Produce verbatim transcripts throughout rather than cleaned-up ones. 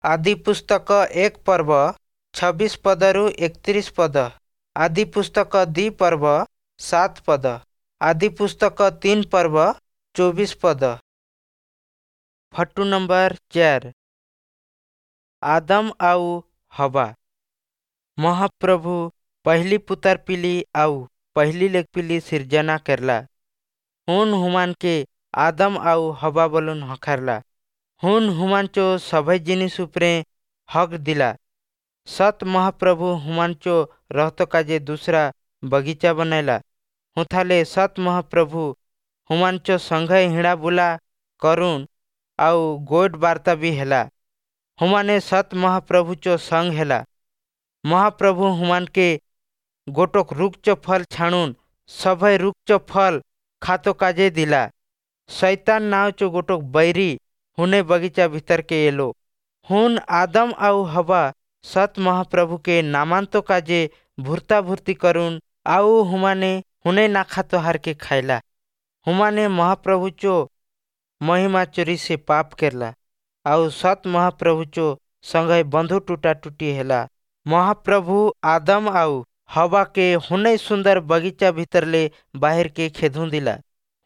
ଆଦିପୁସ୍ତକ ଏକ ପର୍ବ ଛବିଶ ପଦରୁ ଏକତିରିଶ ପଦ, ଆଦିପୁସ୍ତକ ଦୁଇ ପର୍ବ ସାତ ପଦ, ଆଦିପୁସ୍ତକ ତିନି ପର୍ବ ଚବିଶ ପଦ। ଫଟୋ ନମ୍ବର ଚାର, ଆଦମ ଆଉ ହବା। ମହାପ୍ରଭୁ ପହଲି ପୁତର ପିଲି ଆଉ ପହଲି ଲେख ପିଲି ସିର୍ଜନା କରଲା। ହୁନ୍ ହୁମାନକେ ଆଦମ ଆଉ ହବା ବଲୁନ୍ ହଖାରଲା। ହୁନ୍ ହୁମାନଚୋ ସଭେ ଜିନିଷ ଉପରେ ହକ୍ ଦିଲା। ସତ ମହାପ୍ରଭୁ ହୁମାନଚୋ ରହତ କାଜେ ଦୁସରା ବଗିଚା ବନାଇଲା। ହୁଥାଲେ ସତ ମହାପ୍ରଭୁ ହୁମାନଚୋ ସଂଘେ ହିଁଡ଼ା ବୁଲା କରୁନ୍ ଆଉ ଗୋଏଠ ବାର୍ତ୍ତା ବି ହେଲା। ହୁମାନେ ସତ ମହାପ୍ରଭୁଚୋ ସଂଗ ହେଲା। ମହାପ୍ରଭୁ ହୁମାନକେ ଗୋଟକ ରୁଖଚୋ ଫଲ ଛାଣୁନ୍ ସଭେ ରୁଖଚୋ ଫଲ ଖାତ କାଜେ ଦିଲା। ଶୈତାନ ନାଁଚୋ ଗୋଟକ ବୈରୀ ହୁନେ ବଗିଚା ଭିତରକେ ଏଲୋ। ହୁନ୍ ଆଦମ ଆଉ ହବା ସତ ମହାପ୍ରଭୁକେ ନାମାନତ କାଜେ ଭୁର୍ତା ଭୁର୍ତି କରୁନ୍ ଆଉ ହୁମାନେ ହୁନେ ନାଖାତ ହାରକେ ଖାଇଲା। ହୁମାନେ ମହାପ୍ରଭୁଚୋ ମହିମା ଚୋରି ସେ ପାପ କରଲା ଆଉ ସତ ମହାପ୍ରଭୁଚୋ ସଂଘେ ବନ୍ଧୁ ଟୁଟା ଟୁଟି ହେଲା। ମହାପ୍ରଭୁ ଆଦମ ଆଉ ହବାକେ ହୁନେ ସୁନ୍ଦର ବଗିଚା ଭିତରଲେ ବାହିରକେ ଖେଦୁଁ ଦିଲା।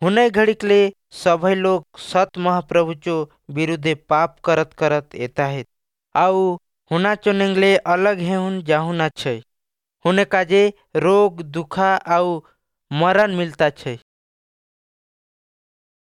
ହୁନେ ଘଡ଼ିକଲେ ସଭେ ଲୋକ ସତ ମହାପ୍ରଭୁଚୋ ବିରୁଦ୍ଧେ ପାପ କରତ କରତ ଏତାହେତ ଆଉ ହୁନାଚୋ ନେଙ୍ଗଲେ अलग ହେହୁନ୍ जाहुन छै। हुने काजे रोग, दुखा आउ मरन मिलता छै।